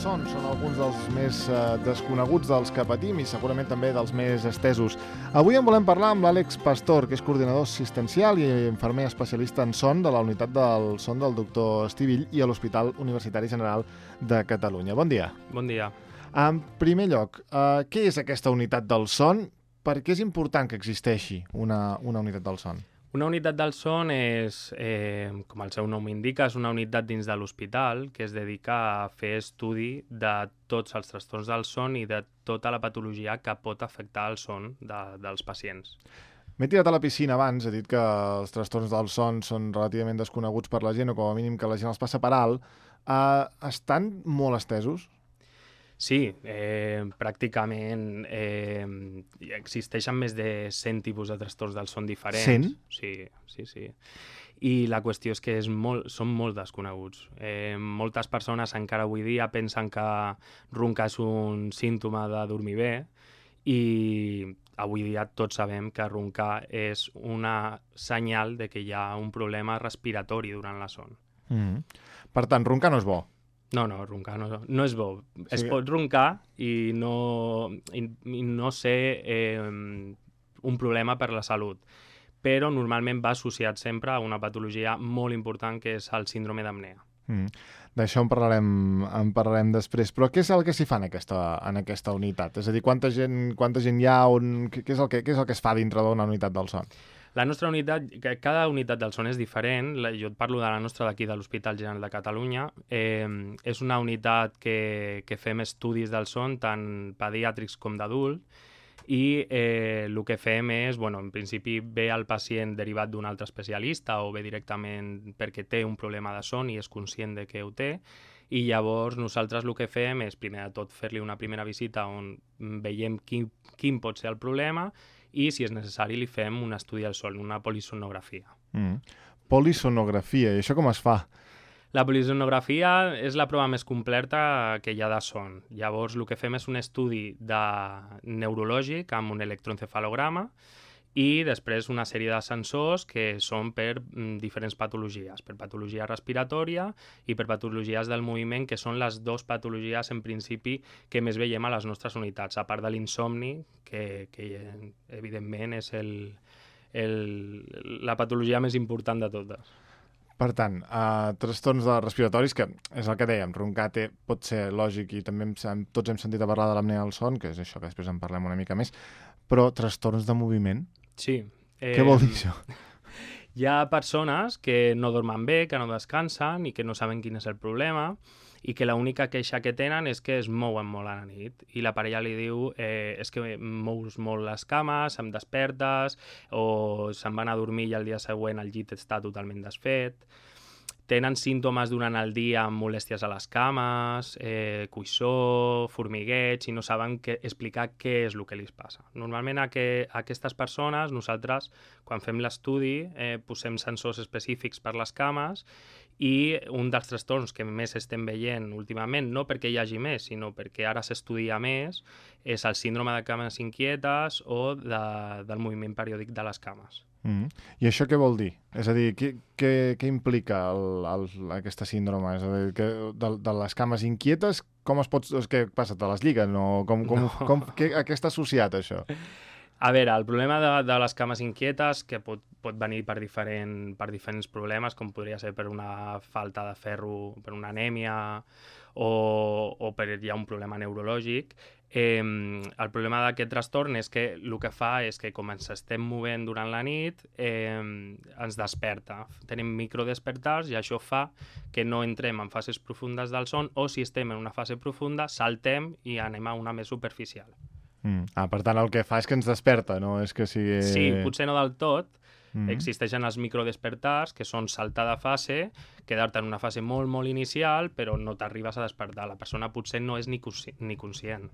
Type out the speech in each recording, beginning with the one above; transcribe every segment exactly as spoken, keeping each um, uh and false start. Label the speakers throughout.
Speaker 1: son són alguns dels més eh, desconeguts dels que patim i segurament també dels més estesos. Avui en volem parlar amb l'Àlex Pastor, que és coordinador assistencial i infermer especialista en son de la unitat del son del doctor Estivill i a l'Hospital Universitari General de Catalunya. Bon dia.
Speaker 2: Bon dia.
Speaker 1: En primer lloc, eh, què és aquesta unitat del son? Per què és important que existeixi una, una unitat del son?
Speaker 2: Una unitat del son és, eh, com el seu nom indica, és una unitat dins de l'hospital que es dedica a fer estudi de tots els trastorns del son i de tota la patologia que pot afectar el son de, dels pacients.
Speaker 1: M'he tirat a la piscina abans, he dit que els trastorns del son són relativament desconeguts per la gent o com a mínim que la gent els passa per alt. Uh, estan molt estesos?
Speaker 2: Sí, eh, pràcticament eh, existeixen més de cent tipus de trastorns del son diferents.
Speaker 1: cent?
Speaker 2: Sí, sí, sí. I la qüestió és que és molt, són molt desconeguts. Eh, moltes persones encara avui dia pensen que roncar és un símptoma de dormir bé i avui dia tots sabem que roncar és una senyal de que hi ha un problema respiratori durant la son.
Speaker 1: Mm-hmm. Per tant, roncar no és bo?
Speaker 2: No, no, roncar no, no és bo. Sí. Es
Speaker 1: Sí.
Speaker 2: pot roncar i no, i, i no ser eh, un problema per la salut, però normalment va associat sempre a una patologia molt important que és el síndrome d'apnea.
Speaker 1: Mm. D'això en parlarem, en parlarem després. Però què és el que s'hi fa en aquesta, en aquesta unitat? És a dir, quanta gent, quanta gent hi ha? On, què, és el que, què és el que es fa dintre d'una unitat del son?
Speaker 2: La nostra unitat, cada unitat del son és diferent, jo et parlo de la nostra d'aquí de l'Hospital General de Catalunya, eh, és una unitat que, que fem estudis del son, tant pediàtrics com d'adult, i eh, el que fem és, bueno, en principi ve el pacient derivat d'un altre especialista o ve directament perquè té un problema de son i és conscient de que ho té, i llavors nosaltres el que fem és, primer de tot, fer-li una primera visita on veiem quin, quin pot ser el problema i, si és necessari, li fem un estudi al son, una polisonografia.
Speaker 1: Mm. Polisonografia, i això com es fa?
Speaker 2: La polisonografia és la prova més completa que hi ha de son. Llavors, el que fem és un estudi de neurològic amb un electroencefalograma i després una sèrie de sensors que són per mm, diferents patologies, per patologia respiratòria i per patologies del moviment, que són les dues patologies en principi que més veiem a les nostres unitats, a part de l'insomni, que, que evidentment és el, el, la patologia més important de totes.
Speaker 1: Per tant, uh, trastorns de respiratoris, que és el que dèiem, roncar té, pot ser lògic i també hem, tots hem sentit a parlar de l'apnea del son, que és això que després en parlem una mica més, però trastorns de moviment?
Speaker 2: Sí. Eh,
Speaker 1: Què vol dir això?
Speaker 2: Hi ha persones que no dormen bé, que no descansen i que no saben quin és el problema i que l'única queixa que tenen és que es mouen molt a la nit i la parella li diu eh, és que mous molt les cames, em despertes o se'n van a dormir i al dia següent el llit està totalment desfet. Tenen símptomes durant el dia amb molèsties a les cames, eh, coïssor, formigueig, i no saben que, explicar què és el que li passa. Normalment a, que, a aquestes persones, nosaltres, quan fem l'estudi, eh, posem sensors específics per les cames i un dels trastorns que més estem veient últimament, no perquè hi hagi més, sinó perquè ara s'estudia més, és el síndrome de cames inquietes o de, del moviment periòdic de les cames.
Speaker 1: Mm. I això què vol dir? És a dir, què, què, què implica el, el, aquesta síndrome? És a dir, que de, de les cames inquietes, com es pot... Què passa? Te les lliguen? O com, com,
Speaker 2: No.
Speaker 1: com, què, a què està associat, això?
Speaker 2: A veure, el problema de, de les cames inquietes, que pot, pot venir per, diferent, per diferents problemes, com podria ser per una falta de ferro, per una anèmia, o, o per hi ha un problema neurològic, eh, el problema d'aquest trastorn és que el que fa és que com ens estem movent durant la nit, eh, ens desperta. Tenim microdespertars i això fa que no entrem en fases profundes del son o si estem en una fase profunda, saltem i anem a una més superficial.
Speaker 1: Mm. Ah, per tant, el que fa és que ens desperta, no és que sigui...
Speaker 2: Sí, potser no del tot.
Speaker 1: Mm.
Speaker 2: Existeixen els microdespertars, que són saltar de fase, quedar-te en una fase molt, molt inicial, però no t'arribes a despertar. La persona potser no és ni, consci ni conscient.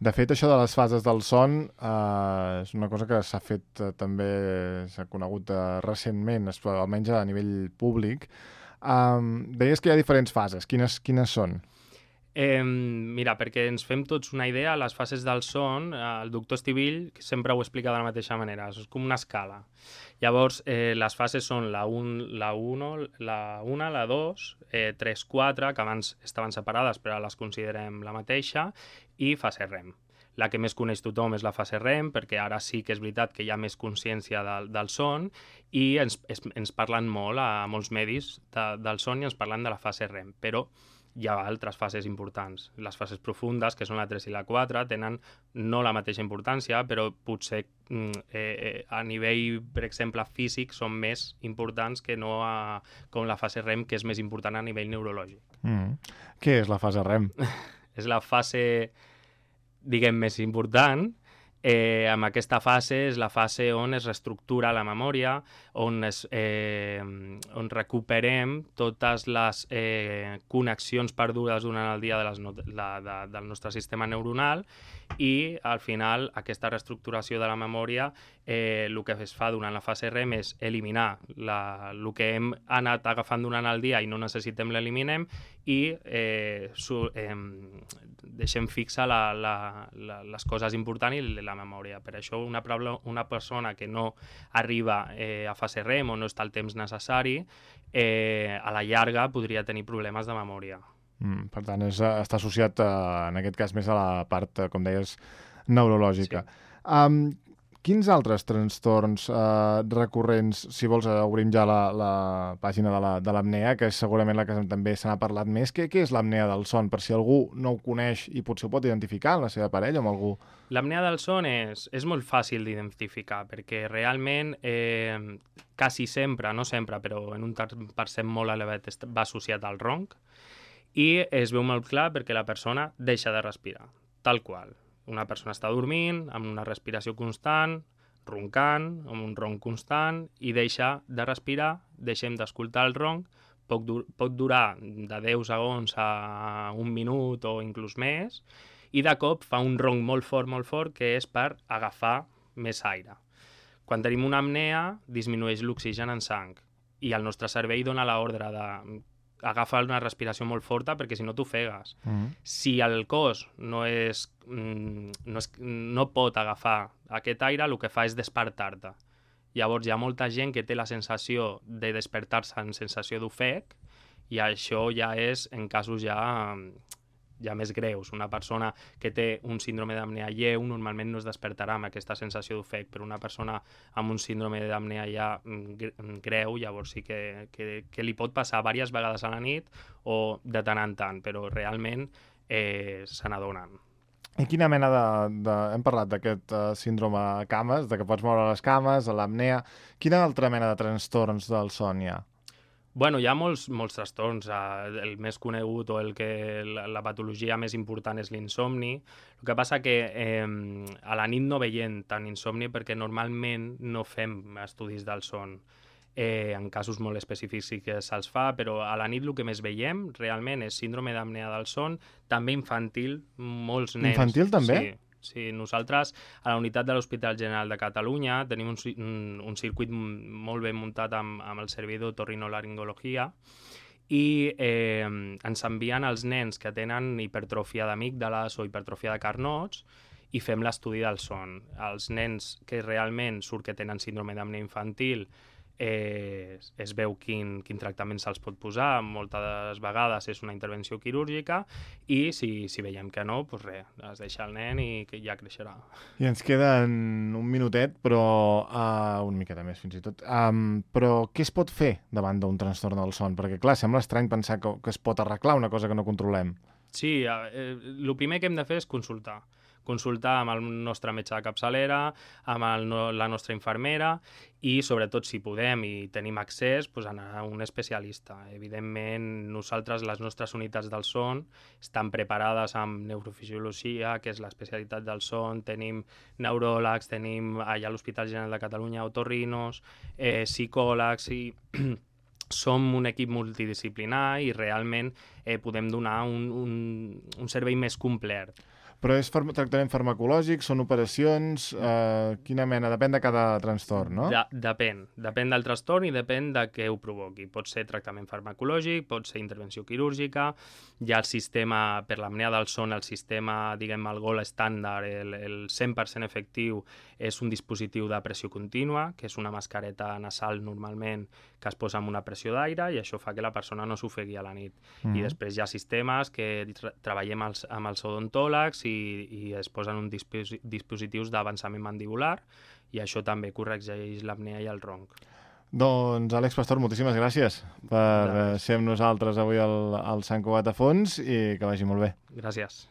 Speaker 1: De fet, això de les fases del son eh, és una cosa que s'ha fet, eh, també s'ha conegut eh, recentment, almenys a nivell públic. Um, deies que hi ha diferents fases. Quines, quines són?
Speaker 2: Eh, mira, perquè ens fem tots una idea, les fases del son, el doctor Estivill sempre ho explica de la mateixa manera, és com una escala. Llavors, eh, les fases són la un, la uno, la una, la dos, eh, tres, quatre, que abans estaven separades però ara les considerem la mateixa, i fase REM. La que més coneix tothom és la fase REM, perquè ara sí que és veritat que hi ha més consciència del, del son i ens, es, ens parlen molt a molts medis de, del son i ens parlen de la fase REM, però hi ha altres fases importants. Les fases profundes, que són la tres i la quatre, tenen no la mateixa importància, però potser eh, eh, a nivell, per exemple, físic, són més importants que no a, com la fase REM, que és més important a nivell neurològic.
Speaker 1: Mm. Què és la fase REM?
Speaker 2: És la fase, diguem, més important. Eh, amb aquesta fase és la fase on es reestructura la memòria, on, es, eh, on recuperem totes les eh, connexions perdudes durant el dia de les no la, de, del nostre sistema neuronal i al final aquesta reestructuració de la memòria eh, el que es fa durant la fase REM és eliminar la, el que hem anat agafant durant el dia i no necessitem l'eliminem i eh, su, eh, deixem fixa la, la, la, les coses importants i la memòria. Per això una, una persona que no arriba eh, a fase REM o no està el temps necessari, eh, a la llarga podria tenir problemes de memòria.
Speaker 1: Mm, per tant, és, està associat, eh, en aquest cas, més a la part, com deies, neurològica. Sí. Um, quins altres trastorns eh, recurrents, si vols, obrim ja la, la pàgina de l'apnea, la, que és segurament la que també se n'ha parlat més. Què, què és l'apnea del son? Per si algú no ho coneix i potser ho pot identificar amb la seva parella o amb algú.
Speaker 2: L'apnea del son és, és molt fàcil d'identificar perquè realment eh, quasi sempre, no sempre, però en un percent molt elevat va associat al ronc i es veu molt clar perquè la persona deixa de respirar, tal qual. Una persona està dormint, amb una respiració constant, roncant, amb un ronc constant, i deixa de respirar, deixem d'escoltar el ronc, pot, dur pot durar de deu segons a un minut o inclús més, i de cop fa un ronc molt fort, molt fort, que és per agafar més aire. Quan tenim una apnea, disminueix l'oxigen en sang, i el nostre cervell dona l'ordre de agafa una respiració molt forta perquè si no t'ofegues. Mm-hmm. Si el cos no, és, no, és, no pot agafar aquest aire, el que fa és despertar-te. Llavors hi ha molta gent que té la sensació de despertar-se en sensació d'ofec i això ja és en casos ja, ja més greus. Una persona que té un síndrome d'apnea lleu normalment no es despertarà amb aquesta sensació d'ofec, però una persona amb un síndrome d'apnea ja greu llavors sí que, que, que li pot passar diverses vegades a la nit o de tant en tant, però realment eh, se n'adonen.
Speaker 1: I quina mena de... de hem parlat d'aquest uh, síndrome cames, de que pots moure les cames, l'apnea. Quina altra mena de trastorns del son hi ha?
Speaker 2: Bueno, hi ha molts, molts trastorns. El més conegut o el que la, la patologia més important és l'insomni. El que passa que eh, a la nit no veiem tant insomni perquè normalment no fem estudis del son. Eh, en casos molt específics sí que se'ls fa, però a la nit el que més veiem realment és síndrome d'apnea del son, també infantil, molts nens.
Speaker 1: Infantil també?
Speaker 2: Sí. Sí, nosaltres a la unitat de l'Hospital General de Catalunya tenim un, un, un circuit molt ben muntat amb, amb el servei d'otorrinolaringologia i eh, ens envien els nens que tenen hipertròfia d'amígdales o hipertròfia de carnots i fem l'estudi del son. Els nens que realment surt que tenen síndrome d'apnea infantil Eh, es veu quin, quin tractament se'ls pot posar, moltes vegades és una intervenció quirúrgica i si, si veiem que no, doncs res, es deixa el nen i que ja creixerà.
Speaker 1: I ens queden un minutet, però uh, una miqueta més fins i tot. Um, però què es pot fer davant d'un trastorn del son? Perquè clar, sembla estrany pensar que, que es pot arreglar una cosa que no controlem.
Speaker 2: Sí, eh, el primer que hem de fer és consultar. Consultar amb el nostre metge de capçalera, amb el, la nostra infermera i, sobretot, si podem i tenim accés, doncs anar a un especialista. Evidentment, nosaltres, les nostres unitats del son, estan preparades amb neurofisiologia, que és l'especialitat del son, tenim neuròlegs, tenim allà a l'Hospital General de Catalunya otorrinos, eh, psicòlegs i... Som un equip multidisciplinar i realment eh, podem donar un, un, un servei més complet.
Speaker 1: Però és far tractament farmacològic, són operacions, eh, quina mena? Depèn de cada trastorn, no?
Speaker 2: De depèn. Depèn del trastorn i depèn de què ho provoqui. Pot ser tractament farmacològic, pot ser intervenció quirúrgica, hi ha el sistema, per l'apnea del son, el sistema, diguem, el gold estàndard, el, el cent per cent efectiu, és un dispositiu de pressió contínua, que és una mascareta nasal normalment que es posa amb una pressió d'aire i això fa que la persona no s'ofegui a la nit. Mm-hmm. I després hi ha sistemes que tra treballem els, amb els odontòlegs i, i es posen uns dispos dispositius d'avançament mandibular i això també corregeix l'apnea i el ronc.
Speaker 1: Doncs, Àlex Pastor, moltíssimes gràcies per ser amb nosaltres avui al, al Sant Cugat a Fons i que vagi molt bé.
Speaker 2: Gràcies.